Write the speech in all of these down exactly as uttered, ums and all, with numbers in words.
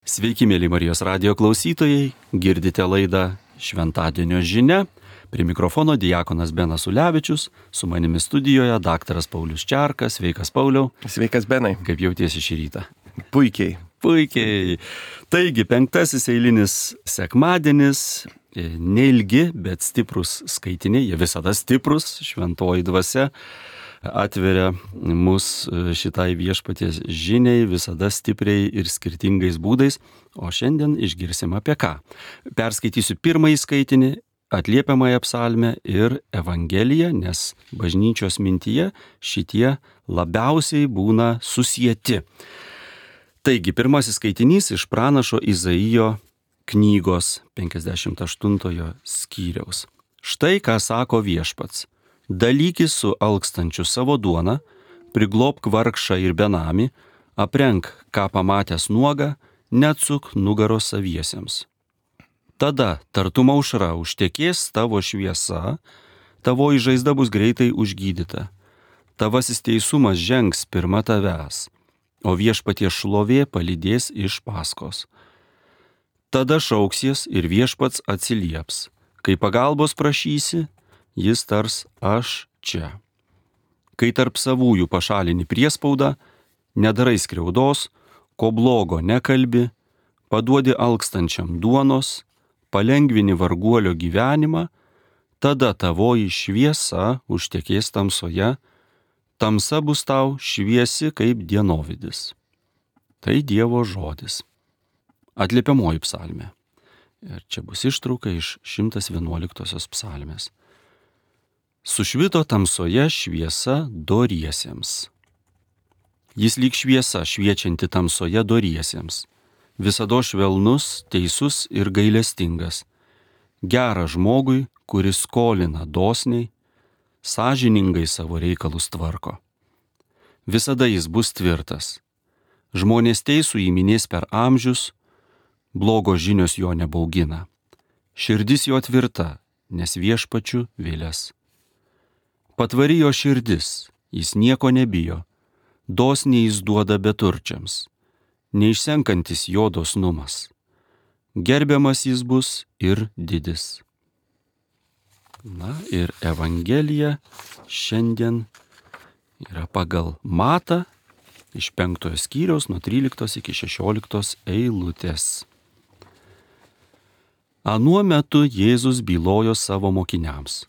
Sveiki, mėly Marijos radijo klausytojai, girdite laidą Šventadienio žinia. Prie mikrofono diakonas Benas Ulevičius, su manimi studijoje daktaras Paulius Čerkas. Sveikas, Pauliau. Sveikas, Benai. Kaip jautiesi šį rytą? Puikiai. Puikiai. Taigi, penktasis eilinis sekmadienis, neilgi, bet stiprus skaitiniai, jie visada stiprus, šventoji dvasia atveria mus šitai viešpaties žiniai visada stipriai ir skirtingais būdais, o šiandien išgirsim apie ką. Perskaitysiu pirmąjį skaitinį, atliepiamąją psalmę ir Evangeliją, nes bažnyčios mintyje šitie labiausiai būna susieti. Taigi, pirmasis skaitinys iš pranašo Izaijo knygos penkiasdešimt aštuntojo skyriaus. Štai ką sako viešpats. Dalykis su alkstančiu savo duoną, priglobk vargšą ir benamį, aprenk, ką pamatęs nuogą, neatsuk nugaros saviesiems. Tada tartum aušra užtekės tavo šviesa, tavo žaizda bus greitai užgydyta. Tavasis teisumas žengs pirma tavęs, o viešpaties šlovė palydės iš paskos. Tada šauksies ir viešpats atsilieps. Kai pagalbos prašysi, jis tars aš čia. Kai tarp savųjų pašalini priespaudą, nedarai skriaudos, ko blogo nekalbi, paduodi alkstančiam duonos, palengvini varguolio gyvenimą, tada tavoji šviesa užtekės tamsoje, tamsa bus tau šviesi kaip dienovidis. Tai Dievo žodis. Atliepiamoji psalmė. Ir čia bus ištrauka iš šimtas vienuoliktosios psalmės. Sušvito tamsoje šviesa doriesiems. Jis lyg šviesa šviečianti tamsoje doriesiems. Visado švelnus, teisus ir gailestingas. Geras žmogui, kuris skolina dosniai, sąžiningai savo reikalus tvarko. Visada jis bus tvirtas. Žmonės teisų įminės per amžius, blogo žinios jo nebaugina. Širdis jo tvirta, nes viešpačiu vėlės. Patvari jo širdis, jis nieko nebijo, dosniai jis duoda beturčiams, neišsenkantis jo dosnumas. Gerbiamas jis bus ir didis. Na ir Evangelija šiandien yra pagal Matą iš penktojo skyriaus nuo tryliktos iki šešioliktos eilutės. Anuo metu Jėzus bylojo savo mokiniams.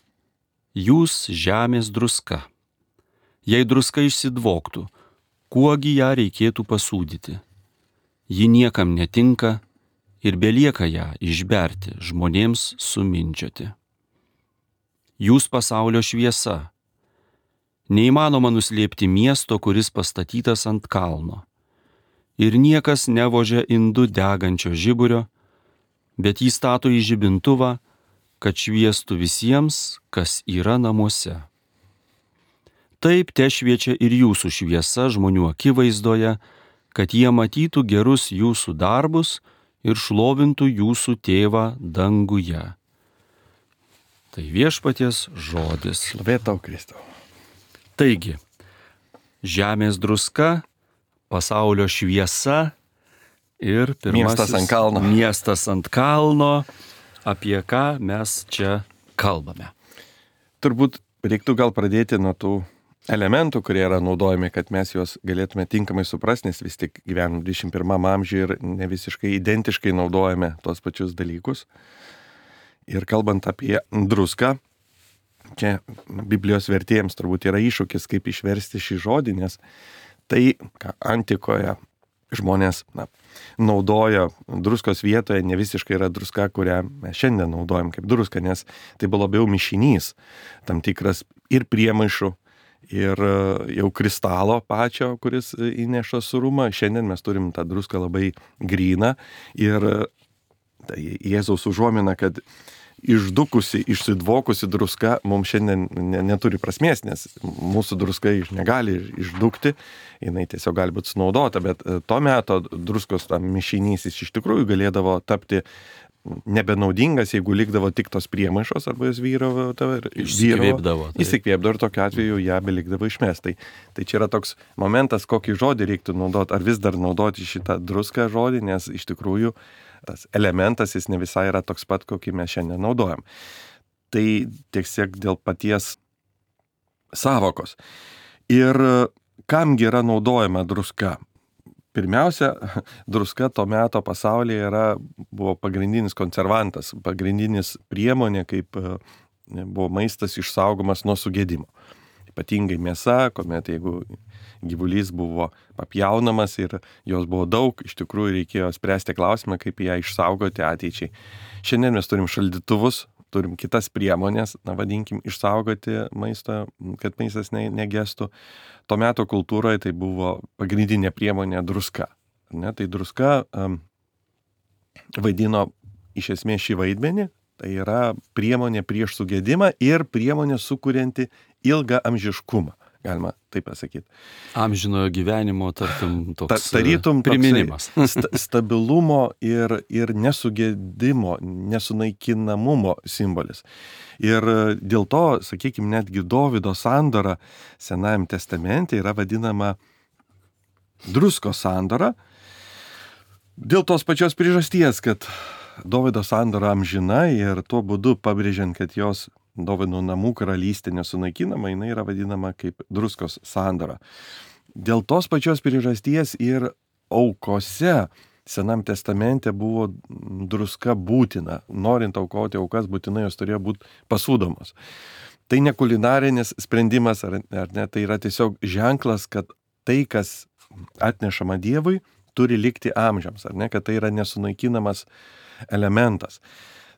Jūs žemės druska. Jei druska išsidvoktų, kuogi ją reikėtų pasūdyti? Ji niekam netinka ir belieka ją išberti, žmonėms sumindžioti. Jūs pasaulio šviesa. Neįmanoma nuslėpti miesto, kuris pastatytas ant kalno. Ir niekas nevožia indų degančio žiburio, bet jį stato į žibintuvą, kad šviestų visiems, kas yra namuose. Taip te šviečia ir jūsų šviesa žmonių akivaizdoje, kad jie matytų gerus jūsų darbus ir šlovintų jūsų tėvą danguje. Tai viešpaties žodis. Šlovė tau, Kristau. Taigi, žemės druska, pasaulio šviesa ir pirmasis miestas ant kalno. Miestas ant kalno. Apie ką mes čia kalbame? Turbūt reiktų gal pradėti nuo tų elementų, kurie yra naudojami, kad mes juos galėtume tinkamai suprasti, nes vis tik gyvenam dvidešimt pirmam amžiuje ir ne visiškai identiškai naudojame tuos pačius dalykus. Ir kalbant apie druską, čia Biblijos vertėjams turbūt yra iššūkis, kaip išversti šį žodį, nes tai, ką antikoje žmonės na, naudoja druskos vietoje, ne visiškai yra druska, kurią mes šiandien naudojam kaip druską, nes tai buvo labiau mišinys, tam tikras ir priemaišų, ir jau kristalo pačio, kuris įneša surumą. Šiandien mes turim tą druską labai gryną ir tai Jėzaus užuomina, kad išdukusi, išsidvokusi druska mums šiandien ne, neturi prasmės, nes mūsų druska iš negali išdukti, jinai tiesiog gali būti sunaudota, bet to meto druskos tam mišinys jis iš tikrųjų galėdavo tapti nebenaudingas, jeigu likdavo tik tos priemaišos arba jos vyravo ir išsikvėpdavo. Įsikvėpdavo ir tokiu atveju ją belikdavo išmest. Tai, tai čia yra toks momentas, kokį žodį reiktų naudoti, ar vis dar naudoti šitą druską žodį, nes iš tikrųjų tas elementas jis ne visai yra toks pat, kokį mes šiandien naudojam. Tai tiesiog dėl paties savokos. Ir kamgi yra naudojama druska? Pirmiausia, druska to meto pasaulyje yra, buvo pagrindinis konservantas, pagrindinis priemonė, kaip buvo maistas išsaugomas nuo sugėdimo. Ypatingai mėsa, kuomet jeigu gyvulys buvo papjaunamas ir jos buvo daug, iš tikrųjų reikėjo spręsti klausimą, kaip ją išsaugoti ateičiai. Šiandien mes turim šaldytuvus, turim kitas priemonės, na vadinkim, išsaugoti maistą, kad maistas ne, negestų. To meto kultūroje tai buvo pagrindinė priemonė druska. Ne? Tai druska um, vaidino iš esmės šį vaidmenį, tai yra priemonė prieš sugėdimą ir priemonė sukurianti ilgą amžiškumą, galima taip pasakyti. Amžinojo gyvenimo, tartum, toks Ta, tarytum, priminimas. sta, stabilumo ir, ir nesugėdimo, nesunaikinamumo simbolis. Ir dėl to, sakykime, netgi Dovydo sandora Senajam testamente yra vadinama druskos sandora. Dėl tos pačios priežasties, kad Dovydo sandora amžina ir tuo būdu pabrėžiant, kad jos Dovydo namų karalystė nesunaikinama, jinai yra vadinama kaip druskos sandora. Dėl tos pačios priežasties ir aukose Senam testamente buvo druska būtina. Norint aukoti aukas, būtinai jos turėjo būti pasūdomos. Tai ne kulinarinis sprendimas, ar, ar ne, tai yra tiesiog ženklas, kad tai, kas atnešama Dievui, turi likti amžiams, ar ne, kad tai yra nesunaikinamas elementas.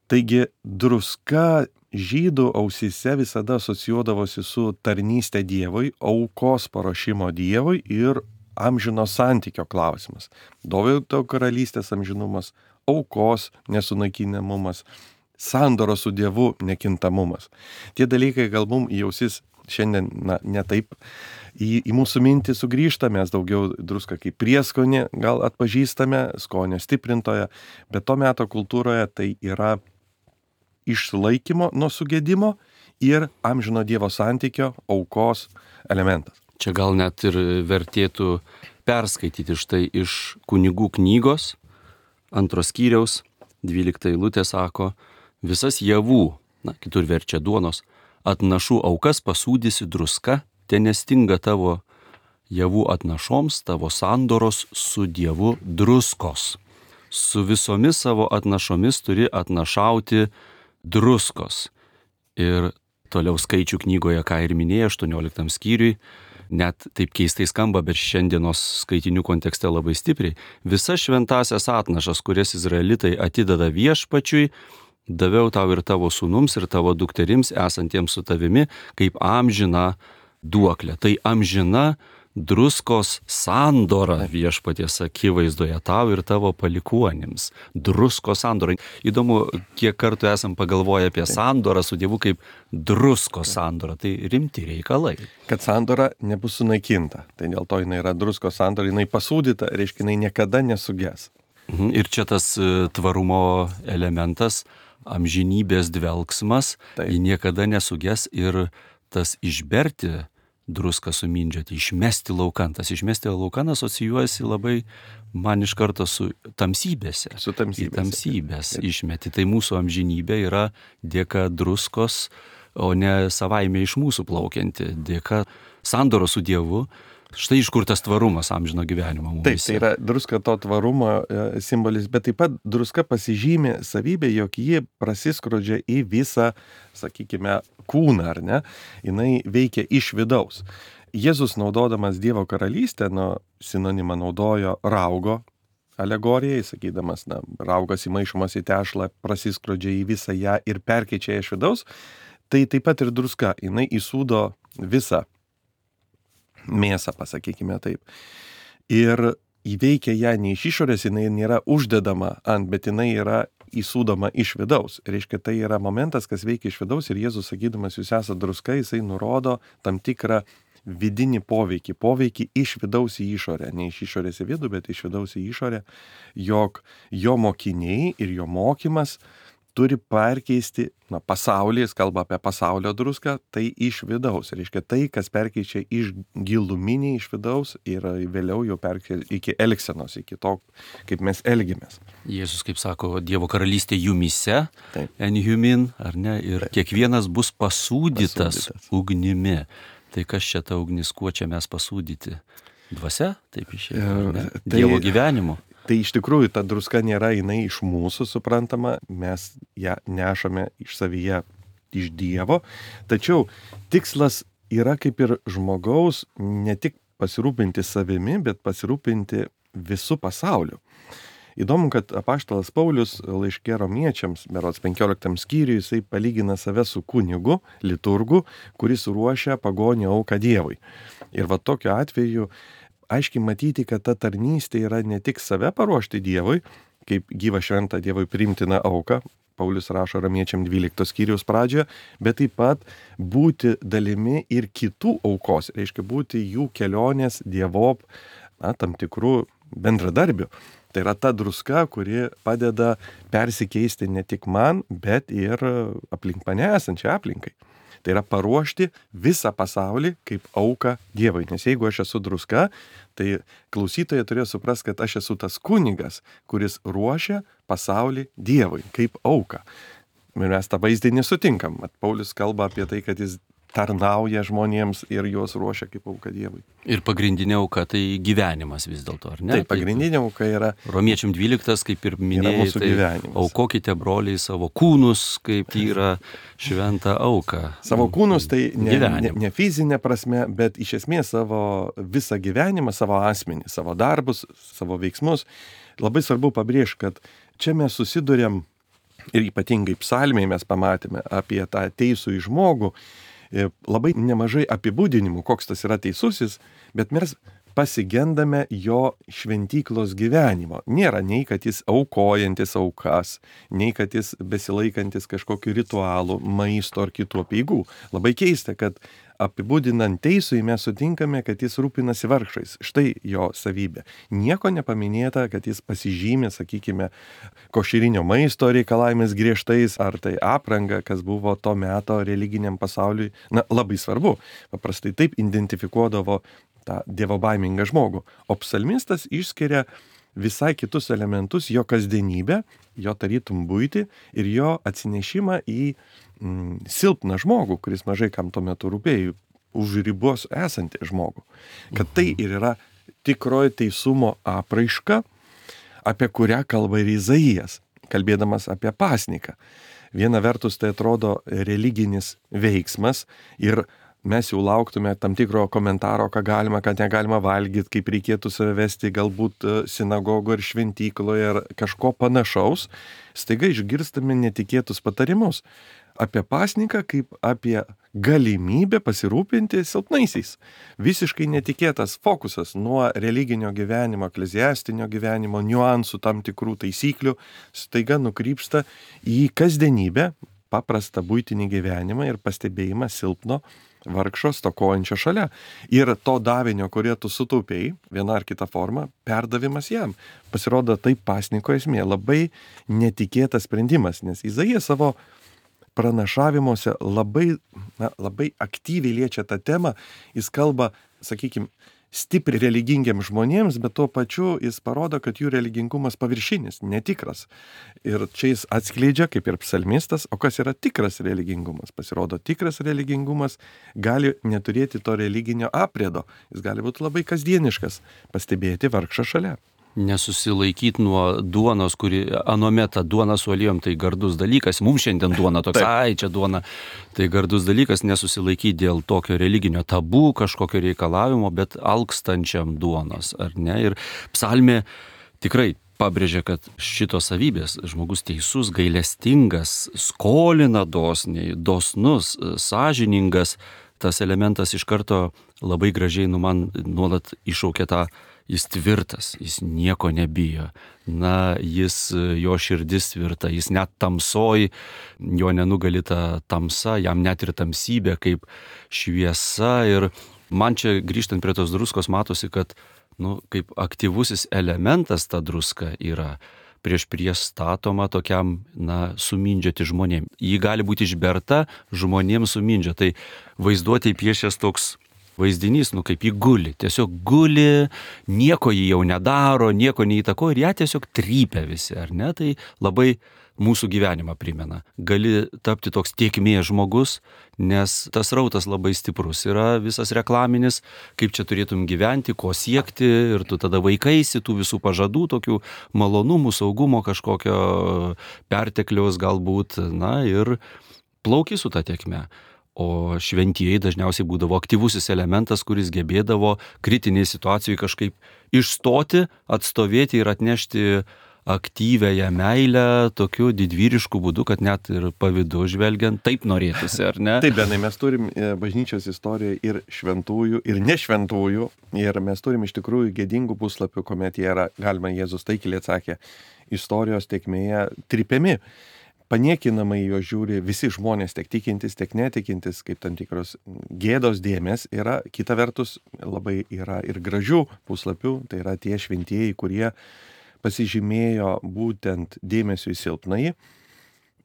Taigi druska žydų ausyse visada asocijuodavosi su tarnystė Dievui, aukos paruošimo Dievui ir amžino santykio klausimas. Dovydo karalystės amžinumas, aukos nesunaikinamumas, sandoro su Dievu nekintamumas. Tie dalykai gal mum į ausis šiandien na, ne taip į, į mūsų mintį sugrįžta, mes daugiau druską kaip prieskonį gal atpažįstame, skonio stiprintoje, bet to meto kultūroje tai yra išlaikymo nuo sugėdimo ir amžino Dievo santykio aukos elementas. Čia gal net ir vertėtų perskaityti štai iš kunigų knygos, antros skyriaus, dvylikta eilutė sako, visas javų, na, kitur verčia duonos, atnašų aukas pasūdysi druska, te nestinga tavo javų atnašoms, tavo sandoros su Dievu druskos. Su visomis savo atnašomis turi atnašauti druskos. Ir toliau skaičių knygoje, ką ir minėjo, aštuonioliktam skyriui, net taip keistai skamba, bet šiandienos skaitinių kontekste labai stipriai. Visas šventasias atnašas, kurias izraelitai atideda viešpačiui, daviau tau ir tavo sūnums ir tavo dukterims esantiems su tavimi, kaip amžina duoklė. Tai amžina druskos sandora viešpaties akivaizdoje tau ir tavo palikuonims. Druskos sandora. Įdomu, kiek kartų esam pagalvoję apie sandorą su Dievu kaip druskos sandora. Tai rimti reikalai. Kad sandora nebus sunaikinta. Tai dėl to jinai yra druskos sandora, jinai pasūdyta, reiškia, jinai niekada nesuges. Ir čia tas tvarumo elementas, amžinybės dvelksmas, Taip. ji niekada nesuges ir tas išberti druską sumindžioti, išmesti laukan. Tas išmesti laukan asocijuojasi labai man iš karto su tamsybėse. Su tamsybėse. Į tamsybės išmeti. Tai mūsų amžinybė yra dėka druskos, o ne savaime iš mūsų plaukianti. Dėka sandoro su Dievu. Štai iš kur tas tvarumas amžino gyvenimo mums. Taip, tai yra druska to tvarumo e, simbolis, bet taip pat druska pasižymė savybę, jog ji prasiskrodžia į visą, sakykime, kūną, ar ne? Jinai veikia iš vidaus. Jėzus naudodamas Dievo karalystę, nu, sinonimą naudojo raugo alegorijai, sakydamas, na, raugas įmaišomas į tešlą, prasiskrodžia į visą ją ir perkeičia ją iš vidaus. Tai taip pat ir druska, jinai įsūdo visą mėsą, pasakykime taip. Ir įveikia ją ne iš išorės, jinai nėra uždedama ant, bet jinai yra įsūdoma iš vidaus. Reiškia, tai yra momentas, kas veikia iš vidaus ir Jėzus, sakydamas, jūs esate druska, jisai nurodo tam tikrą vidinį poveikį, poveikį iš vidaus į išorę, ne iš išorės į vidų, bet iš vidaus į išorę, jog jo mokiniai ir jo mokymas turi perkeisti, na, pasaulį, jis kalba apie pasaulio druską, tai iš vidaus. Reiškia, tai, kas perkeičia iš giluminį iš vidaus ir vėliau jau perkeičia iki elgsenos, iki to, kaip mes elgiamės. Jėzus, kaip sako, Dievo karalystė jumyse, Taip. enjumin, ar ne, ir Taip. Kiekvienas bus pasūdytas, Pasūdytas. ugnimi. Tai kas čia ta ugnis, kuo čia mes pasūdyti? Dvasia, taip išėjo. Tai- Dievo gyvenimu. Tai iš tikrųjų ta druska nėra jinai iš mūsų suprantama, mes ją nešame iš savyje, iš Dievo, tačiau tikslas yra kaip ir žmogaus ne tik pasirūpinti savimi, bet pasirūpinti visų pasauliu. Įdomu, kad apaštalas Paulius laiške romiečiams, berods penkioliktam skyriui, jisai palygina save su kunigu, liturgu, kuris ruošia pagonio auką Dievui. Ir va tokiu atveju aiškiai matyti, kad ta tarnystė yra ne tik save paruošti Dievui, kaip gyvą šventą Dievui priimtiną auką, Paulius rašo romiečiam dvyliktos skyriaus pradžioje, bet taip pat būti dalimi ir kitų aukos, reiškia būti jų kelionės Dievop, na, tam tikrų bendradarbių. Tai yra ta druska, kuri padeda persikeisti ne tik man, bet ir aplink mane esančiai aplinkai. Tai yra paruošti visą pasaulį kaip auką Dievui. Nes jeigu aš esu druska, tai klausytojai turėjo suprasti, kad aš esu tas kunigas, kuris ruošia pasaulį Dievui kaip auką. Ir mes tą vaizdinį sutinkam. Mat, Paulius kalba apie tai, kad jis tarnauja žmonėms ir juos ruošia kaip auka Dievui. Ir pagrindinė auka tai gyvenimas vis dėlto, ar ne? Taip, pagrindinė auka yra Romiečiam dvyliktas, kaip ir minėjai, mūsų tai gyvenimas. aukokite broliai savo kūnus, kaip yra šventą auką. Savo kūnus tai ne, ne, Gyvenimą. ne fizinė prasme, bet iš esmės savo visą gyvenimą, savo asmenį, savo darbus, savo veiksmus. Labai svarbu pabrėžti, kad čia mes susidurėm ir ypatingai psalmėje mes pamatėme apie tą teisų į žmogų, labai nemažai apibūdinimų, koks tas yra teisusis, bet mes pasigendame jo šventyklos gyvenimo. Nėra nei, kad jis aukojantis aukas, nei, kad jis besilaikantis kažkokiu ritualu, maisto ar kitų apeigų. Labai keista, kad apibūdinant teisui mes sutinkame, kad jis rūpinasi vargšais. Štai jo savybė. Nieko nepaminėta, kad jis pasižymė, sakykime, košerinio maisto reikalavimis griežtais, ar tai apranga, kas buvo to meto religiniam pasauliui. Na, labai svarbu. Paprastai taip identifikuodavo tą dievobaimingą žmogų. O psalmistas išskiria visai kitus elementus, jo kasdienybę, jo tarytum buitį ir jo atsinešimą į mm, silpną žmogų, kuris mažai kam tuo metu rūpėjo, už ribos esantį žmogų. Kad tai ir yra tikroji teisumo apraiška, apie kurią kalba ir Izaijas, kalbėdamas apie pasniką. Viena vertus tai atrodo religinis veiksmas ir mes jau lauktume tam tikro komentaro, ką galima, ką negalima valgyti, kaip reikėtų save vesti galbūt sinagogo ir šventykloje ar kažko panašaus, staiga išgirstame netikėtus patarimus apie pasniką kaip apie galimybę pasirūpinti silpnaisiais. Visiškai netikėtas fokusas nuo religinio gyvenimo, ekleziastinio gyvenimo, niuansų tam tikrų taisyklių, staiga nukrypsta į kasdienybę, paprastą buitinį gyvenimą ir pastebėjimą silpno vargšo stokojančio šalia. Ir to davinio, kurie tu sutaupėjai, viena ar kita forma, perdavimas jam. Pasirodo, tai pasniko esmė. Labai netikėtas sprendimas, nes Izaijas savo pranašavimuose labai, na, labai aktyviai liečia tą temą. Jis kalba, sakykime, stipriai religingiams žmonėms, bet tuo pačiu jis parodo, kad jų religingumas paviršinis, netikras. Ir čia jis atskleidžia, kaip ir psalmistas, o kas yra tikras religingumas. Pasirodo, tikras religingumas gali neturėti to religinio apriedo. Jis gali būti labai kasdieniškas, pastebėti vargšą šalia. Nesusilaikyti nuo duonos, kuri anuometą duona su alijom, tai gardus dalykas. Mums šiandien duona toks, ai, čia duona, tai gardus dalykas, nesusilaikyti dėl tokio religinio tabų, kažkokio reikalavimo, bet alkstančiam duonos, ar ne? Ir psalmė tikrai pabrėžia, kad šitos savybės, žmogus teisus, gailestingas, skolina dosniai, dosnus, sąžiningas, tas elementas iš karto labai gražiai nu man nuolat iššaukia tą, jis tvirtas, jis nieko nebijo. Na, jis, jo širdis tvirta, jis net tamsoj, jo nenugali ta tamsa, jam net ir tamsybė kaip šviesa. Ir Man čia grįžtant prie tos druskos matosi, kad, nu, kaip aktyvusis elementas ta druska yra prieš priestatoma tokiam, na, sumindžioti žmonėm. Ji gali būti išberta žmonėms sumindžio. Tai vaizduotėj piešęs toks vaizdinys, nu kaip jį guli. Tiesiog guli, nieko jį jau nedaro, nieko neįtako ir ją tiesiog trypia visi, ar ne? Tai labai mūsų gyvenimą primena. Gali tapti toks tiekmės žmogus, nes tas rautas labai stiprus. Yra visas reklaminis, kaip čia turėtum gyventi, ko siekti ir tu tada vaikaisi tų visų pažadų, tokių malonumų, saugumo, kažkokio pertekliaus galbūt, na ir plauki su ta tiekme. O šventieji dažniausiai būdavo aktyvusis elementas, kuris gebėdavo kritinėje situacijoje kažkaip išstoti, atstovėti ir atnešti aktyvėją meilę tokiu didvyrišku būdu, kad net ir pavydu žvelgiant taip norėtųsi, ar ne? Taip, Benai, mes turim bažnyčios istorijoje ir šventųjų, ir nešventųjų, ir mes turim iš tikrųjų gėdingų puslapių, kuomet jie yra, galima Jėzus taikliai atsakė, istorijos tėkmėje trypiami. Paniekinamai jo žiūri visi žmonės, tiek tikintis, tiek netikintis, kaip tam tikros gėdos dėmės. Yra, kita vertus, labai yra ir gražių puslapių, tai yra tie šventieji, kurie pasižymėjo būtent dėmesio į silpnąjį,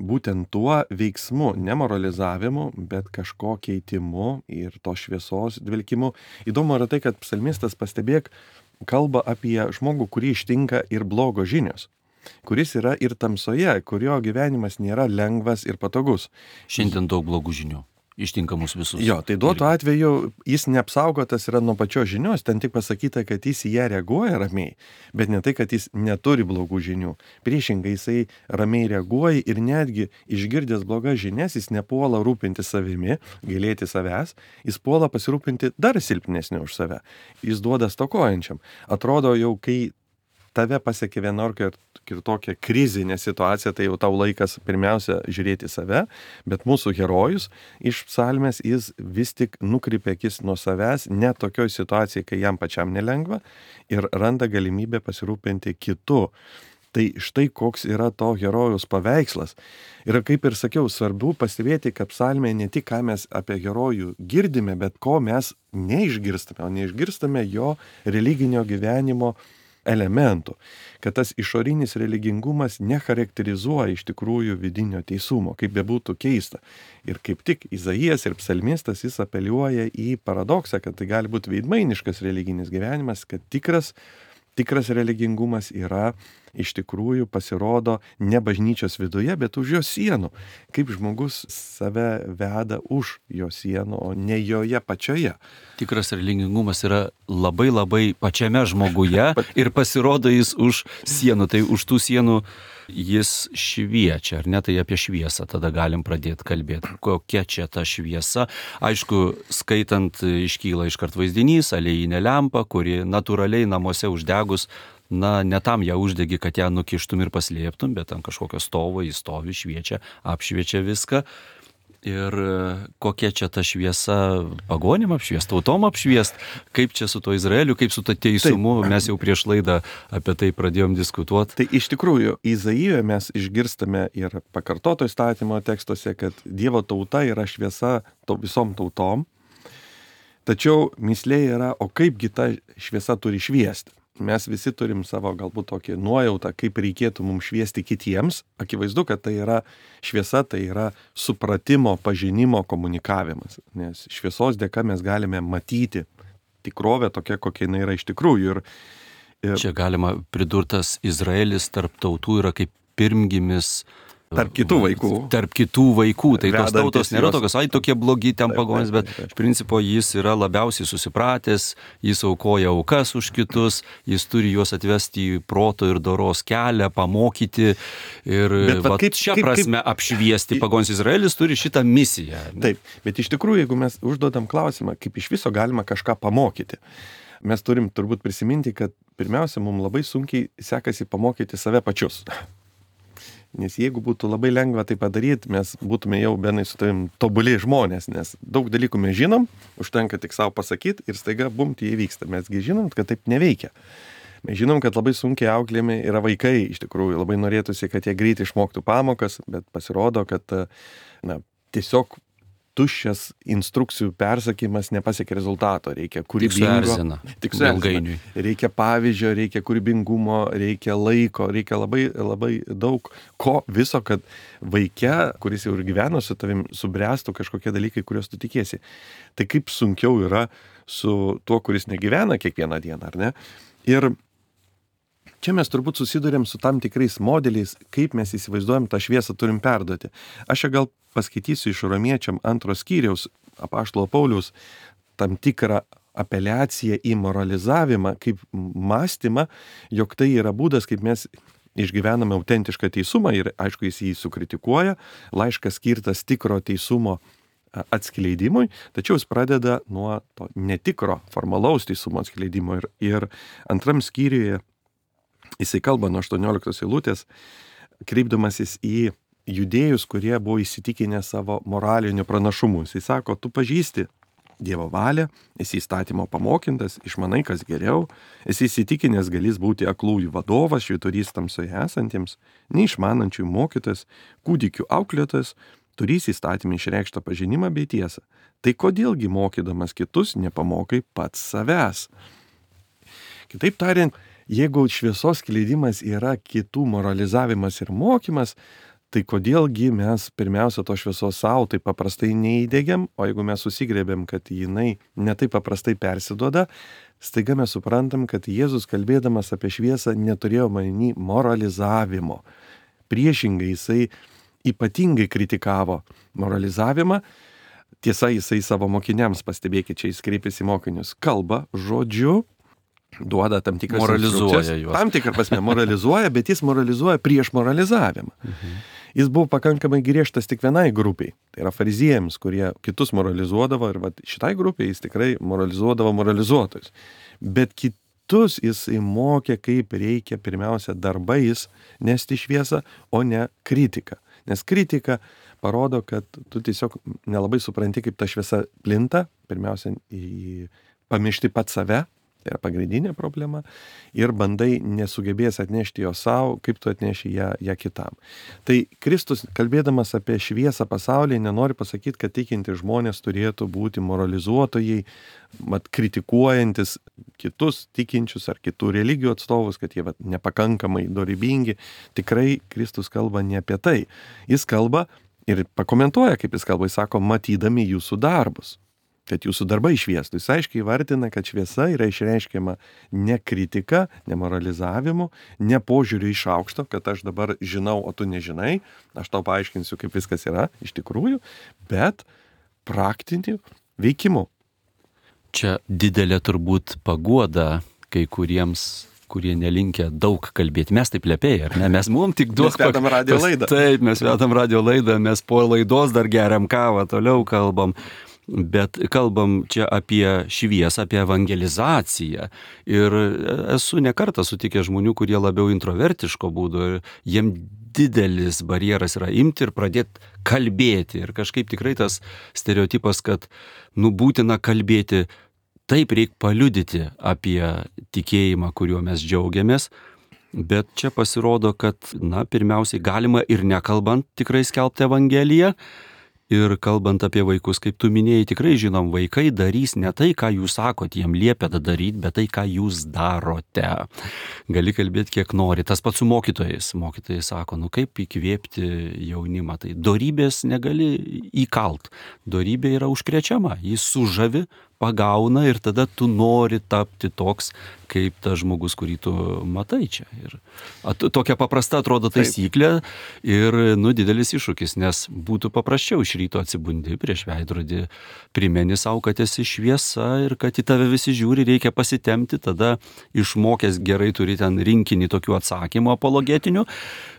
būtent tuo veiksmu, ne moralizavimu, bet kažko keitimu ir to šviesos dvelkimu. Įdomu yra tai, kad psalmistas, pastebėk, kalba apie žmogų, kurį ištinka ir blogo žinios, kuris yra ir tamsoje, kurio gyvenimas nėra lengvas ir patogus. Šiandien daug blogų žinių ištinka mus visus. Jo, tai duotų atveju jis neapsaugotas yra nuo pačios žinios, ten tik pasakyta, kad jis į ją reaguoja ramiai, bet ne tai, kad jis neturi blogų žinių. Priešingai, jisai ramiai reaguoja ir netgi išgirdęs blogas žinias, jis nepuola rūpinti savimi, gailėti savęs, jis puola pasirūpinti dar silpnesnį už save. Jis duoda stokojančiam. Atrodo jau, kai tave pasiekė vienokia ir tokia krizinė situacija, tai jau tau laikas pirmiausia žiūrėti save, bet mūsų herojus iš psalmės jis vis tik nukreipia akis nuo savęs, net tokioj situacijai, kai jam pačiam nelengva, ir randa galimybę pasirūpinti kitu. Tai štai koks yra to herojaus paveikslas. Ir kaip ir sakiau, svarbu pastebėti, kad psalmėje ne tik ką mes apie herojų girdime, bet ko mes neišgirstame, o neišgirstame jo religinio gyvenimo elementų, kad tas išorinis religingumas necharakterizuoja iš tikrųjų vidinio teisumo, kaip bebūtų keista. Ir kaip tik Izaijas ir psalmistas jis apeliuoja į paradoksą, kad tai gali būti veidmainiškas religinis gyvenimas, kad tikras, tikras religingumas yra iš tikrųjų pasirodo ne bažnyčios viduje, bet už jos sienų. Kaip žmogus save veda už jo sienų, o ne joje pačioje. Tikras religingumas yra labai labai pačiame žmoguje ir pasirodo jis už sienų. Tai už tų sienų jis šviečia, ar ne? Tai apie šviesą tada galim pradėti kalbėti. Kokia čia ta šviesa? Aišku, skaitant iškyla iškart vaizdinys, aliejinė lempa, kuri natūraliai namuose uždegus, na, ne tam ją uždegi, kad ją nukištum ir paslėptum, bet ant kažkokio stovo jis stovi, šviečia, apšviečia viską. Ir kokia čia ta šviesa pagonim apšviest, tautom apšviest, kaip čia su to Izraeliu, kaip su to teisumu, taip. Mes jau prieš laidą apie tai pradėjom diskutuoti. Tai iš tikrųjų, Izaijoje mes išgirstame ir pakartoto įstatymo tekstuose, kad Dievo tauta yra šviesa to visom tautom, tačiau mįslė yra, o kaipgi ta šviesa turi šviesti. Mes visi turim savo galbūt tokį nuojautą, kaip reikėtų mums šviesti kitiems. Akivaizdu, kad tai yra šviesa, tai yra supratimo, pažinimo komunikavimas. Nes šviesos dėka mes galime matyti tikrovę tokia, kokia jinai yra iš tikrųjų. Ir, ir... Čia galima pridurtas Izraelis tarp tautų yra kaip pirmgimis. Tarp kitų vaikų. Tarp kitų vaikų. Tai tos tautos nėra tokios, ai tokie blogi ten pagonys, bet iš principo jis yra labiausiai susipratęs, jis aukoja aukas už kitus, jis turi juos atvesti į proto ir doros kelią, pamokyti ir va, kaip, šią kaip, prasme kaip... apšviesti pagonys. Izraelis turi šitą misiją. Taip, bet iš tikrųjų, jeigu mes užduodam klausimą, kaip iš viso galima kažką pamokyti, mes turim turbūt prisiminti, kad pirmiausia, mums labai sunkiai sekasi pamokyti save pačius. Nes jeigu būtų labai lengva tai padaryti, mes būtume jau Benai su tavim tobuliai žmonės, nes daug dalykų mes žinom, užtenka tik savo pasakyti ir staiga bum, tai įvyksta. Mesgi žinom, kad taip neveikia. Mes žinom, kad labai sunkiai auklėjami yra vaikai, iš tikrųjų labai norėtųsi, kad jie greitai išmoktų pamokas, bet pasirodo, kad na, tiesiog tuščias instrukcijų persakymas nepasiekia rezultato, reikia Tik kūrybingo. suerzina. Tik suerzina. Ilgainiui. Reikia pavyzdžio, reikia kūrybingumo, reikia laiko, reikia labai, labai daug ko viso, kad vaike, kuris jau ir gyveno su tavim, subręstų kažkokie dalykai, kuriuos tu tikėsi. Tai kaip sunkiau yra su tuo, kuris negyvena kiekvieną dieną, ar ne? Ir čia mes turbūt susidurėm su tam tikrais modeliais, kaip mes įsivaizduojam tą šviesą turim perduoti. Aš čia gal paskaitysiu iš Romiečiam antros skyriaus apaštalo Pauliaus tam tikrą apeliaciją į moralizavimą, kaip mąstymą, jog tai yra būdas, kaip mes išgyvename autentišką teisumą ir aišku jis jį sukritikuoja, laiškas skirtas tikro teisumo atskleidimui, tačiau jis pradeda nuo to netikro formalaus teisumo atskleidimo ir, ir antram skyriuje jisai kalba nuo aštuonioliktos eilutės, kreipdamasis į judėjus, kurie buvo įsitikinę savo moraliniu pranašumu. Jisai sako, tu pažįsti Dievo valią, esi įstatymo pamokintas, išmanai, kas geriau, esi įsitikinęs galės būti aklųjų vadovas, švyturys tamsoje esantiems, neišmanančių mokytojas, kūdikių auklėtojas, turys įstatymį išreikštą pažinimą bei tiesą. Tai kodėlgi mokydamas kitus nepamokai pats savęs? Kitaip tariant, jeigu šviesos skleidimas yra kitų moralizavimas ir mokymas, tai kodėlgi mes pirmiausia to šviesos savo taip paprastai neįdėgiam, o jeigu mes susigrėbėm, kad jinai netaip paprastai persiduoda, staiga mes suprantam, kad Jėzus kalbėdamas apie šviesą neturėjo omeny moralizavimo. Priešingai jisai ypatingai kritikavo moralizavimą. Tiesa, jisai savo mokiniams, pastebėkit, čia jis kreipėsi mokinius, kalba žodžiu, duoda tam tikras moralizuoja juos. Tam tikrą prasme moralizuoja, bet jis moralizuoja prieš moralizavimą. Mhm. Jis buvo pakankamai griežtas tik vienai grupiai, tai yra fariziejams, kurie kitus moralizuodavo ir va, šitai grupiai jis tikrai moralizuodavo moralizuotojus. Bet kitus jis mokė, kaip reikia pirmiausia darbais nesti šviesą, o ne kritika. Nes kritika parodo, kad tu tiesiog nelabai supranti, kaip ta šviesa plinta, pirmiausia į pamiršti pat save. Tai yra pagrindinė problema ir bandai nesugebės atnešti jo savo, kaip tu atneši ją, ją kitam. Tai Kristus, kalbėdamas apie šviesą pasaulyje, nenori pasakyti, kad tikinti žmonės turėtų būti moralizuotojai, mat kritikuojantis kitus tikinčius ar kitų religijų atstovus, kad jie vat, nepakankamai dorybingi. Tikrai Kristus kalba ne apie tai. Jis kalba ir pakomentuoja, kaip jis kalba, jis sako, matydami jūsų darbus. Kad jūsų darbai šviestų. Jis aiškiai įvardina, kad šviesa yra išreiškiama ne kritika, ne moralizavimu, ne požiūriu iš aukšto, kad aš dabar žinau, o tu nežinai, aš tau paaiškinsiu, kaip viskas yra iš tikrųjų, bet praktiniu veikimu. Čia didelė turbūt paguoda kai kuriems, kurie nelinkia daug kalbėti. Mes taip lepėjai, ar ne? Mes mum tik duok... Mes vedam radio laidą. Taip, mes vedam radio laidą, mes po laidos dar geriam kavą, toliau kalbam. Bet kalbam čia apie šviesą, apie evangelizaciją. Ir esu ne kartą sutikęs žmonių, kurie labiau introvertiško būdo ir jiem didelis barjeras yra imti ir pradėti kalbėti. Ir kažkaip tikrai tas stereotipas, kad nu būtina kalbėti, taip reikia paliudyti apie tikėjimą, kuriuo mes džiaugiamės. Bet čia pasirodo, kad na, pirmiausiai galima ir nekalbant tikrai skelbti Evangeliją. Ir kalbant apie vaikus, kaip tu minėjai, tikrai žinom, vaikai darys ne tai, ką jūs sakot, jiem liepėte daryti, bet tai, ką jūs darote. Gali kalbėti, kiek nori. Tas pats su mokytojais. Mokytojai sako, nu kaip įkvėpti jaunimą. Tai dorybės negali įkalt. Dorybė yra užkrečiama. Jis sužavi, pagauna ir tada tu nori tapti toks, kaip tas žmogus, kurį tu matai čia. Ir at, tokia paprasta atrodo taisyklė ir nu, didelis iššūkis, nes būtų paprasčiau iš ryto atsibundi prieš veidrodį, primeni savo, kad esi šviesa ir kad į tave visi žiūri, reikia pasitemti, tada išmokęs gerai turi ten rinkinį tokių atsakymų apologetinių,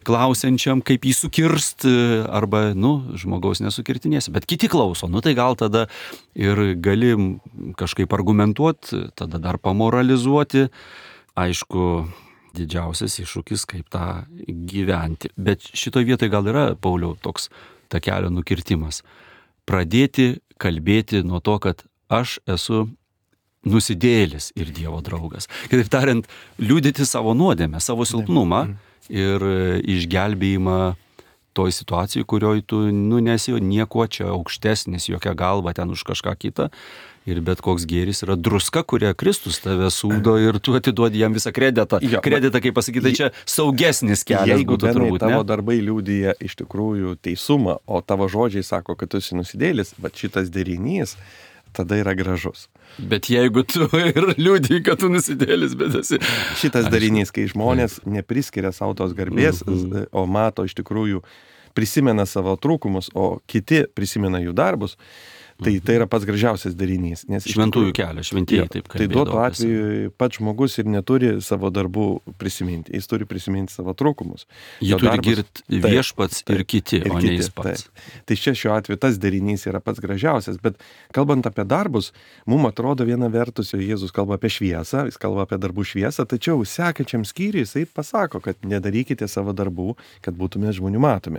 klausiančiam, kaip jį sukirst, arba, nu, žmogaus nesukirtinėsi, bet kiti klauso, nu tai gal tada ir gali kažkaip argumentuoti, tada dar pamoralizuoti. Aišku, didžiausias iššūkis, kaip tą gyventi. Bet šitoje vietoje gal yra, Pauliau, toks takelio nukirtimas. Pradėti kalbėti nuo to, kad aš esu nusidėjėlis ir Dievo draugas. Kitaip tariant, liudyti savo nuodėmę, savo silpnumą ir išgelbėjimą toj situacijai, kurioje tu, nu, nesi nieko čia aukštesnis, jokia galva ten už kažką kitą. Ir bet koks gėris yra druska, kurią Kristus tave sūdo ir tu atiduodi jam visą kreditą. Jo, Kreditą, kaip pasakyti, tai čia saugesnis kelias jeigu būtų Benai, turbūt. tavo Ne? darbai liudija iš tikrųjų teisumą, o tavo žodžiai sako, kad tu esi nusidėlis, bet šitas derinys tada yra gražus. Bet jeigu tu ir liūdį, kad tu nusidėlis, bet esi... Šitas darinys, kai žmonės nepriskiria savo tos garbės, Mhm. o mato iš tikrųjų, prisimena savo trūkumus, o kiti prisimena jų darbus, tai tai yra pats gražiausias darinys. Nes iš Šventųjų tikrųjų- kelias, šventieji Jo, taip tai kalbėdavo. duotų atveju pats žmogus ir neturi savo darbų prisiminti, jis turi prisiminti savo trūkumus. Jį Jo turi darbus- girti Taip, viešpats ir taip, kiti, ir o kiti, ne jis pats. taip. Tai čia šiuo atveju tas darinys yra pats gražiausias, bet kalbant apie darbus, mums atrodo viena vertus, jau Jėzus kalba apie šviesą, jis kalba apie darbų šviesą, tačiau sekančiam skyriui jisai pasako, kad nedarykite savo darbų, kad būtume žmonių matomi.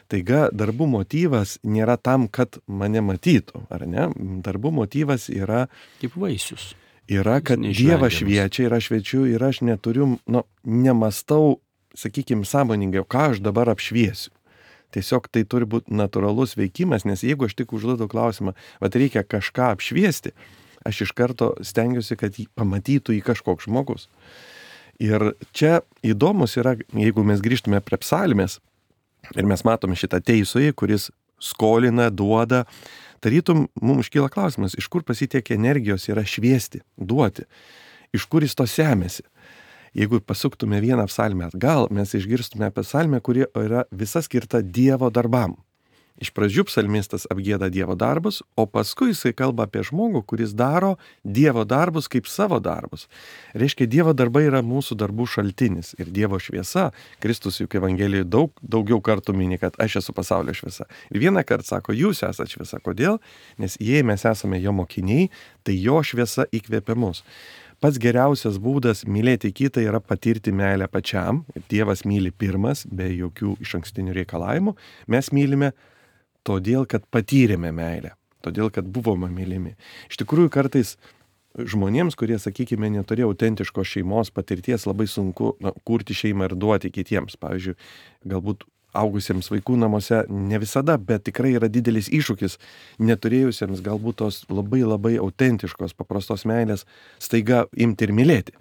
Taiga darbų motyvas nėra tam, kad mane matytų, ar ne? Darbų motyvas yra, Kaip vaisius. yra kad neišvengiamas. Dievas šviečia ir aš šviečiu ir aš neturiu, nu, nemastau, sakykime, sąmoningai, ką aš dabar apšviesiu. Tiesiog tai turi būti natūralus veikimas, nes jeigu aš tik užduodu klausimą, bet reikia kažką apšviesti, aš iš karto stengiuosi, kad jį pamatytų į kažkoks žmogus. Ir čia įdomus yra, jeigu mes grįžtume prie psalmės, ir mes matome šitą teisųjį, kuris skolina, duoda, tarytum mums iškyla klausimas, iš kur pasitiek energijos yra šviesti, duoti, iš kur jis to semėsi. Jeigu pasuktume vieną psalmę atgal, mes išgirstume apie psalmę, kuri yra visa skirta Dievo darbam. Iš pradžių psalmistas apgieda Dievo darbus, o paskui jisai kalba apie žmogų, kuris daro Dievo darbus kaip savo darbus. Reiškia, Dievo darbai yra mūsų darbų šaltinis ir Dievo šviesa. Kristus juk Evangelijoje daug, daugiau kartų mini, kad aš esu pasaulio šviesa. Ir vieną kartą sako, jūs esate šviesa. Kodėl? Nes jei mes esame jo mokiniai, tai jo šviesa įkvėpia mus. Pats geriausias būdas mylėti kitą yra patirti meilę pačiam. Dievas myli pirmas, be jokių išankstinių reikalavimų. Mes mylime todėl, kad patyrėme meilę, todėl, kad buvome mylimi. Iš tikrųjų, kartais žmonėms, kurie, sakykime, neturėjo autentiškos šeimos patirties, labai sunku na, kurti šeimą ir duoti kitiems. Pavyzdžiui, galbūt augusiems vaikų namuose ne visada, bet tikrai yra didelis iššūkis neturėjusiems galbūt tos labai labai autentiškos, paprastos meilės staiga imti ir mylėti.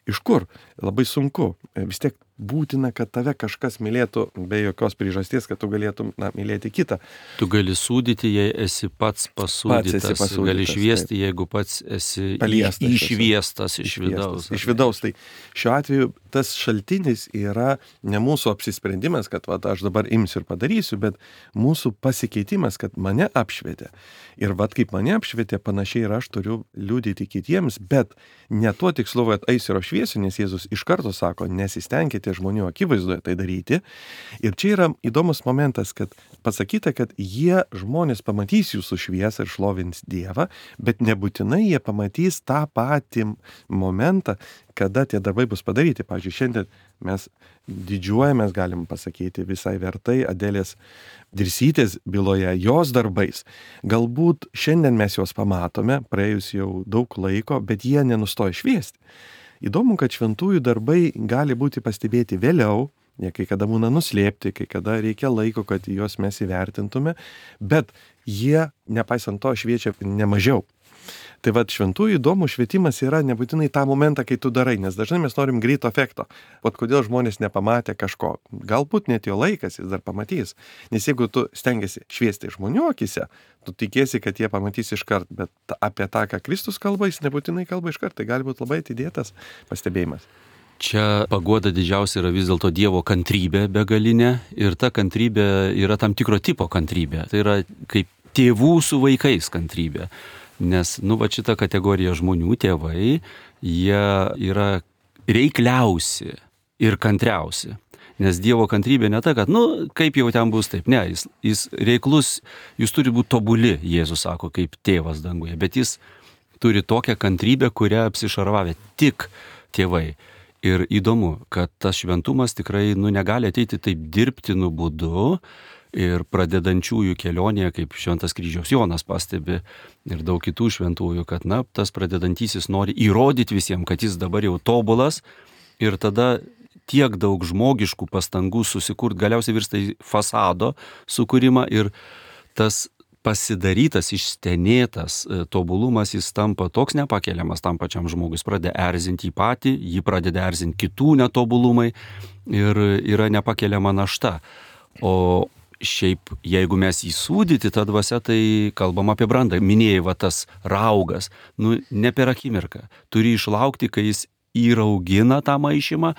Iš kur? Labai sunku. Vis tiek būtina, kad tave kažkas mylėtų be jokios priežasties, kad tu galėtum na, mylėti kitą. Tu gali sūdyti, jei esi pats pasūdytas. Pats esi pasūdytas, Gali šviesti, jeigu pats esi Paliestas į- išviestas iš vidaus. Iš vidaus. Tai šiuo atveju tas šaltinis yra ne mūsų apsisprendimas, kad va, aš dabar imsiu ir padarysiu, bet mūsų pasikeitimas, kad mane apšvietė. Ir vad kaip mane apšvietė, panašiai ir aš turiu liudyti kitiems, bet ne tuo tikslu, kad eisiu ir apšviesiu, nes Jėzus iš karto sako, nesistengkite žmonių akivaizdoje tai daryti. Ir čia yra įdomus momentas, kad pasakyta, kad jie žmonės pamatys jūsų šviesą ir šlovins Dievą, bet nebūtinai jie pamatys tą patį momentą, kada tie darbai bus padaryti. Pavyzdžiui, šiandien mes didžiuojamės, galim pasakyti, visai vertai Adelės Dirsytės byloje jos darbais. Galbūt šiandien mes juos pamatome, praėjus jau daug laiko, bet jie nenustoja šviesti. Įdomu, kad šventųjų darbai gali būti pastebėti vėliau, jie kai kada būna nuslėpti, kai kada reikia laiko, kad juos mes įvertintume, bet jie, nepaisant to, šviečia nemažiau. Tai vad šventųjų įdomų švietimas yra nebūtinai tą momentą, kai tu darai, nes dažnai mes norim greito efekto. Vat kodėl žmonės nepamatė kažko. Galbūt net jo laikas jis dar pamatys. Nes jeigu tu stengiasi šviesti žmonių akise, tu tikėsi, kad jie pamatys iškart, bet apie tą, ką Kristus kalba, jis nebūtinai kalba iškart. Tai gali būti labai atidėtas pastebėjimas. Čia paguoda didžiausia yra vis dėlto Dievo kantrybė begalinė ir ta kantrybė yra tam tikro tipo kantrybė. Tai yra kaip tėvų su vaikais kantrybė. Nes, nu, va šita kategorija žmonių, tėvai, jie yra reikliausi ir kantriausi. Nes Dievo kantrybė ne ta, kad, nu, kaip jau ten bus taip. Ne, jis, jis reiklus, jūs turi būti tobuli, Jėzus sako, kaip tėvas danguje. Bet jis turi tokią kantrybę, kurią apsišarvavę tik tėvai. Ir įdomu, kad tas šventumas tikrai, nu, negali ateiti taip dirbtinu būdu. Ir pradedančiųjų kelionėje, kaip Šventas kryžiaus Jonas pastebi ir daug kitų šventųjų, kad, na, tas pradedantysis nori įrodyti visiems, kad jis dabar jau tobulas ir tada tiek daug žmogiškų pastangų susikurti, galiausiai virsta į fasado sukūrimą ir tas pasidarytas, išstenėtas tobulumas, jis tampa toks nepakeliamas tam pačiam žmogus, pradeda erzinti jį patį, jį pradeda erzinti kitų netobulumai ir yra nepakeliama našta. O šiaip, jeigu mes įsūdyti tą dvasią, tai kalbam apie brandą. Minėjai, va tas raugas, nu, ne per akimirką. Turi išlaukti, kai jis įraugina tą maišymą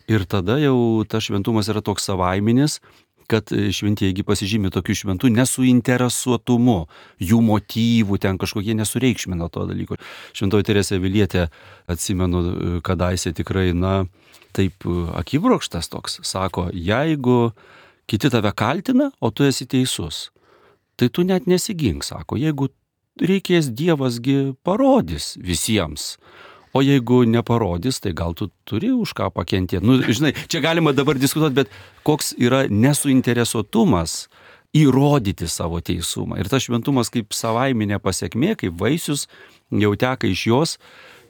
ir tada jau tas šventumas yra toks savaiminis, kad šventieji pasižymi tokiu šventų nesuinteresuotumu, jų motyvų, ten kažkokie nesureikšmina to dalyko. Šventoji Teresė Avilietė, atsimenu, kadaise tikrai, na, taip akibrokštas toks, sako, jeigu kiti tave kaltina, o tu esi teisus, tai tu net nesigink, sako, jeigu reikės, Dievasgi parodys visiems. O jeigu neparodys, tai gal tu turi už ką pakentėti. Nu, žinai, čia galima dabar diskutuoti, bet koks yra nesuinteresuotumas įrodyti savo teisumą. Ir tas šventumas kaip savaiminė pasiekmė, kaip vaisius jau teka iš jos.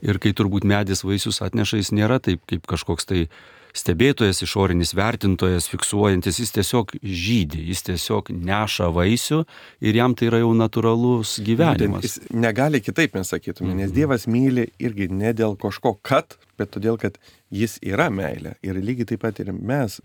Ir kai turbūt medis vaisius atneša, jis nėra taip kaip kažkoks tai stebėtojas, išorinis vertintojas, fiksuojantis, jis tiesiog žydi, jis tiesiog neša vaisių ir jam tai yra jau natūralus gyvenimas. Jis negali kitaip, mes sakytume, nes Dievas myli irgi ne dėl kažko kad, bet todėl, kad jis yra meilė. Ir lygiai taip pat ir mes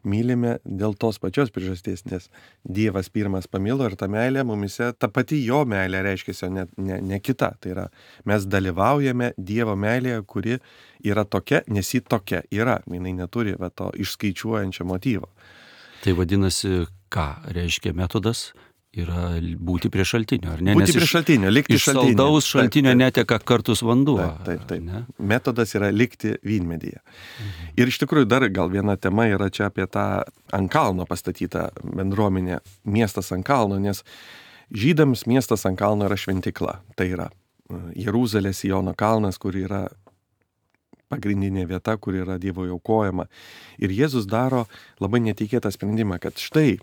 mylime dėl tos pačios priežasties, nes Dievas pirmas pamilo ir ta meilė mumise, ta pati jo meilė reiškia, ne, ne, ne kita. Tai yra, mes dalyvaujame Dievo meilėje, kuri yra tokia, nes ji tokia yra. Jinai neturi va, to išskaičiuojančio motyvo. Tai vadinasi, ką reiškia metodas? Yra būti prie šaltinio, ar ne? Būti Nes prie šaltinio, likti iš šaltinio. Iš saldaus šaltinio taip, taip. Neteka kartus vanduo. Taip, taip, taip. Ne? Metodas yra likti vynmedyje. Mhm. Ir iš tikrųjų dar gal viena tema yra čia apie tą ant kalno pastatytą bendruomenę, miestas ant kalno, nes žydams miestas ant kalno yra šventikla. Tai yra Jeruzalės Siono kalnas, kur yra pagrindinė vieta, kur yra Dievo aukojama. Ir Jėzus daro labai netikėtą sprendimą, kad štai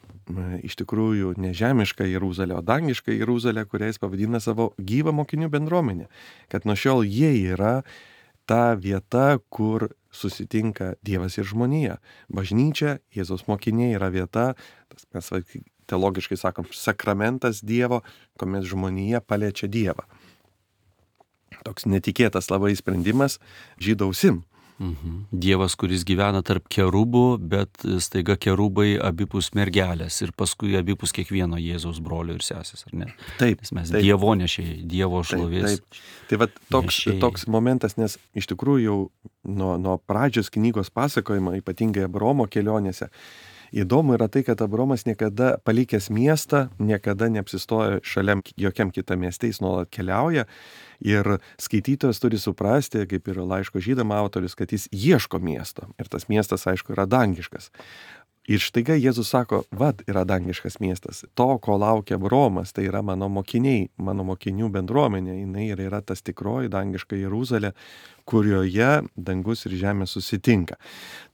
iš tikrųjų ne žemiška Jeruzalė, o dangiška Jeruzalė, kurią jis pavadina savo gyvą mokinių bendruomenę. Kad nuo šiol jie yra ta vieta, kur susitinka Dievas ir žmonija. Bažnyčia, Jėzaus mokiniai yra vieta, tas mes teologiškai sakom, sakramentas Dievo, kuomet žmonija paliečia Dievą. Toks netikėtas labai sprendimas žydausim. Mhm. Dievas, kuris gyvena tarp kerubų, bet staiga kerubai abipus mergelės ir paskui abipus kiekvieno Jėzaus brolio ir sesės, ar ne? Taip. Nes mes taip. Dievo nešėjai, Dievo šlovės. Taip, taip. Tai va toks, toks momentas, nes iš tikrųjų jau nuo, nuo pradžios knygos pasakojimo, ypatingai Abraomo kelionėse, įdomu yra tai, kad Abraomas niekada palikęs miestą, niekada neapsistoja šalia jokiam kitam mieste, jis nuolat keliauja ir skaitytojas turi suprasti, kaip ir laiško žydam autorius, kad jis ieško miesto ir tas miestas, aišku, yra dangiškas. Ir štaiga Jėzus sako, vad yra dangiškas miestas, to, ko laukia Abraomas, tai yra mano mokiniai, mano mokinių bendruomenė, jinai ir yra tas tikroji dangiška Jeruzalė, kurioje dangus ir žemė susitinka.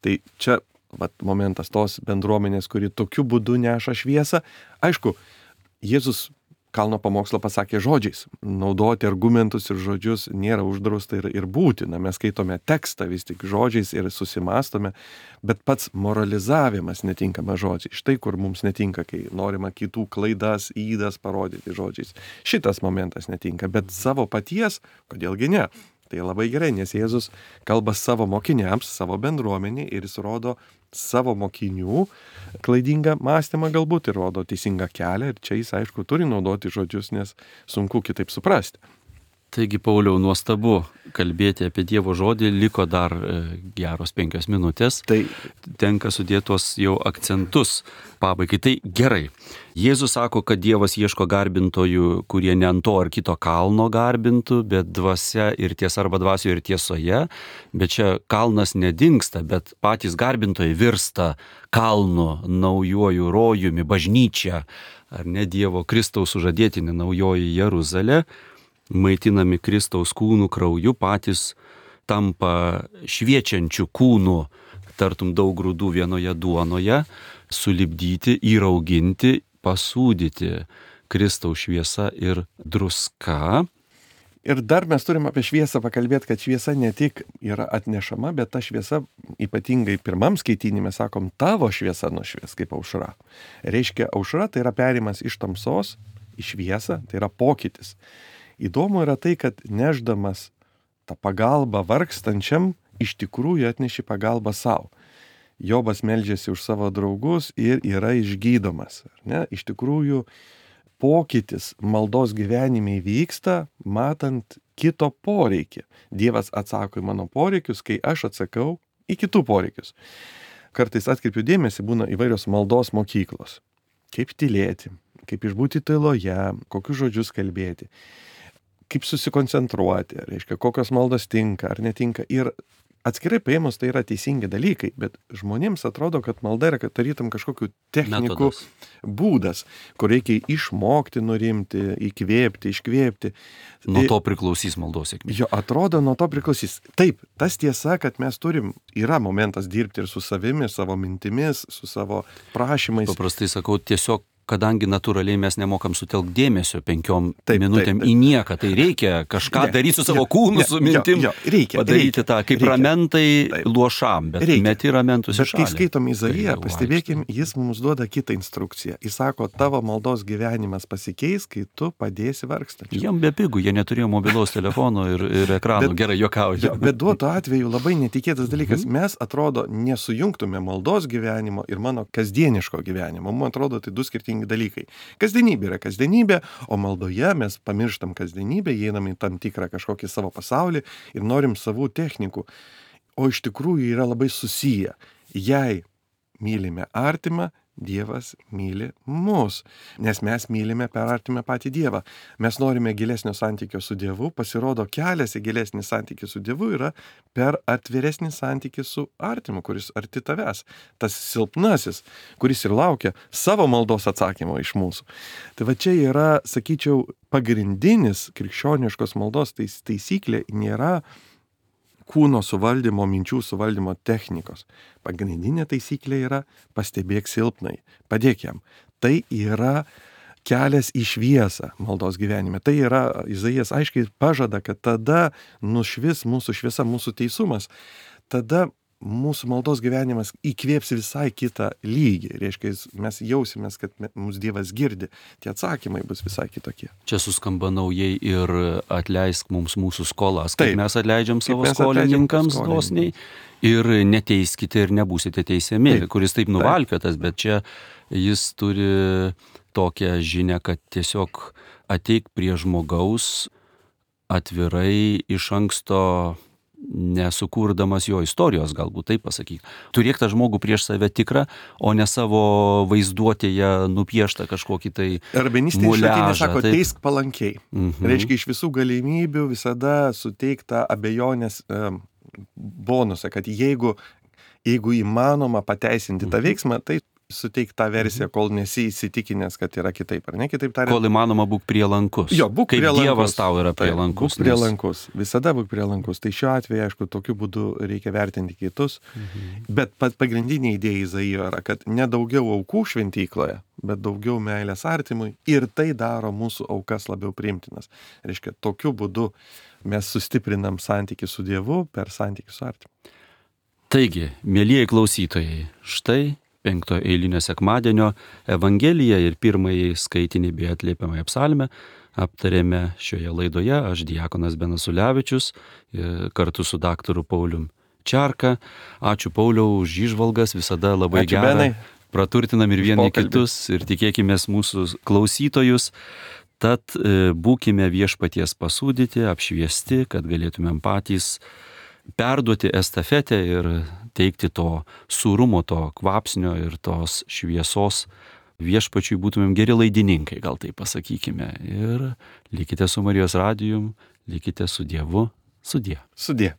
Tai čia vat, momentas tos bendruomenės, kuri tokiu būdu neša šviesą. Aišku, Jėzus kalno pamokslą pasakė žodžiais. Naudoti argumentus ir žodžius nėra uždrausta ir, ir būtina. Mes skaitome tekstą vis tik žodžiais ir susimastome, bet pats moralizavimas netinkama žodžiai. Štai kur mums netinka, kai norima kitų klaidas, įdas parodyti žodžiais. Šitas momentas netinka, bet savo paties, kodėlgi ne? Tai labai gerai, nes Jėzus kalba savo mokiniams, savo bendruomenį ir jis rodo savo mokinių klaidingą mąstymą galbūt ir rodo teisingą kelią ir čia jis, aišku, turi naudoti žodžius, nes sunku kitaip suprasti. Taigi, Pauliau, nuostabu kalbėti apie Dievo žodį, liko dar geros penkios minutės. Tai tenka sudėti tuos jau akcentus pabaigai. Tai gerai. Jėzus sako, kad Dievas ieško garbintojų, kurie ne ant to ar kito kalno garbintų, bet dvasia ir tiesa arba dvasioje ir tiesoje. Bet čia kalnas nedingsta, bet patys garbintojai virsta kalnu, naujuoju rojumi, bažnyčia, ar ne Dievo Kristaus sužadėtinė naujoji Jeruzalė. Maitinami Kristaus kūnų krauju, patys tampa šviečiančių kūnų, tartum daug grūdų vienoje duonoje, sulipdyti, įrauginti, pasūdyti Kristaus šviesa ir druska. Ir dar mes turim apie šviesą pakalbėti, kad šviesa ne tik yra atnešama, bet ta šviesa, ypatingai pirmam skaitinime, sakom, tavo šviesa nušvies kaip aušra. Reiškia, aušra tai yra perimas iš tamsos į šviesą, tai yra pokytis. Įdomu yra tai, kad neždamas tą pagalbą vargstančiam, iš tikrųjų atneši pagalbą savo. Jobas meldžiasi už savo draugus ir yra išgydomas. Ar ne? Iš tikrųjų, pokytis maldos gyvenime vyksta, matant kito poreikį. Dievas atsako į mano poreikius, kai aš atsakau į kitų poreikius. Kartais atkreipiu dėmesį, būna įvairios maldos mokyklos. Kaip tylėti, kaip išbūti tyloje, kokius žodžius kalbėti, kaip susikoncentruoti, reiškia, kokios maldos tinka ar netinka. Ir atskirai paėmus tai yra teisingi dalykai, bet žmonėms atrodo, kad malda yra tarytum kažkokių technikų Metodas. būdas, kur reikia išmokti, nurimti, įkvėpti, iškvėpti. Nuo to priklausys maldos sėkmė. Jo, atrodo, nuo to priklausys. Taip, tas tiesa, kad mes turim, yra momentas dirbti ir su savimi, savo mintimis, su savo prašymais. Paprastai sakau, tiesiog kadangi natūraliai mes nemokam sutelkti dėmesio penkiom Taip, minutėm taip, taip. į nieką, tai reikia kažką Ne, daryti su savo jo, kūnu, ne, su jo, mintim, jo, reikia, padaryti reikia, tą, kaip reikia. ramentai Taip. luošam, bet Reikia. meti ramentus į Bet kai šalį. skaitom Izaiją, Tai pastebėkim, jis mums duoda kitą instrukciją. Jis sako, tavo maldos gyvenimas pasikeis, kai tu padėsi vargstančiam. Jam be pigų, jie neturėjo mobilaus telefono ir, ir ekranų. Bet- Gerai, juokauju. Jo, bet duotų atveju labai netikėtas dalykas. Mes, atrodo, nesujungtume maldos gyvenimo ir mano kasdieniško gyvenimo. Man atrodo, tai du skirtingi dalykai. Kasdienybė yra kasdienybė, o maldoje mes pamirštam kasdienybę, įeinam į tam tikrą kažkokį savo pasaulį ir norim savų technikų. O iš tikrųjų yra labai susiję. Jei mylime artimą, Dievas myli mus, nes mes mylime per artimą patį Dievą. Mes norime gilesnio santykio su Dievu, pasirodo kelias į gilesnį santykį su Dievu yra per atviresnį santykį su artimu, kuris arti tavęs. Tas silpnasis, kuris ir laukia savo maldos atsakymo iš mūsų. Tai va čia yra, sakyčiau, pagrindinis krikščioniškos maldos tais, taisyklė nėra kūno suvaldymo, minčių suvaldymo technikos. Pagrindinė taisyklė yra pastebėk silpnai, padėk jam. Tai yra kelias į šviesą maldos gyvenime. Tai yra, Izaijas aiškiai pažada, kad tada nušvis mūsų šviesa, mūsų teisumas. Tada mūsų maldos gyvenimas įkvėps visai kitą lygį. Reiškia, mes jausimės, kad mūsų Dievas girdi. Tie atsakymai bus visai kitokie. Čia suskamba naujai ir atleisk mums mūsų skolas, kaip Taip. mes atleidžiam Kaip savo mes atleidžiam skolininkams skolininkams. dosniai. Ir neteiskite ir nebūsite teisiami, Taip. kuris taip nuvalkiotas, bet čia jis turi tokią žinią, kad tiesiog ateik prie žmogaus atvirai iš anksto, nesukurdamas jo istorijos, galbūt taip pasakyk. Turėk tą žmogų prieš save tikrą, o ne savo vaizduotėje nupieštą kažkokį tai Rabinistiniai šaltiniai muliažą. sako, taip. teisk palankiai. Mhm. Reiškia, iš visų galimybių visada suteikta abejonės um, bonusą, kad jeigu, jeigu įmanoma pateisinti tą veiksmą, tai suteik tą versiją, kol nesi įsitikinęs, kad yra kitaip, ar ne? Kitaip tariant, Kol įmanoma būk prielankus. Jo, būk Kaip prielankus. Dievas tau yra Taip, prielankus. Būk prielankus. Visada būk prielankus. Tai šiuo atveju, aišku, tokiu būdu reikia vertinti kitus. Mhm. Bet pat pagrindinė idėja Izaijo yra, kad ne daugiau aukų šventykloje, bet daugiau meilės artimui. Ir tai daro mūsų aukas labiau priimtinas. Reiškia, tokiu būdu mes sustiprinam santykį su Dievu per santykį su artimu. Taigi, mėlyjei klausytojai, štai penkto eilinio sekmadienio Evangeliją ir pirmąjį skaitinį bei atliepiamąją psalmę aptarėme šioje laidoje. Aš diakonas Benas Ulevičius kartu su daktaru Paulium Čerka. Ačiū Pauliau už įžvalgas, visada labai Ačiū, gera. Benai. Praturtinam ir Už vieni pokalbį. kitus ir tikėkime mūsų klausytojus. Tad e, būkime viešpaties pasūdyti, apšviesti, kad galėtumėm patys perduoti estafetę ir teikti to sūrumo, to kvapsnio ir tos šviesos viešpačiui, būtumėm geri laidininkai, gal tai pasakykime. Ir likite su Marijos radijum, likite su Dievu, sudie. Sudie.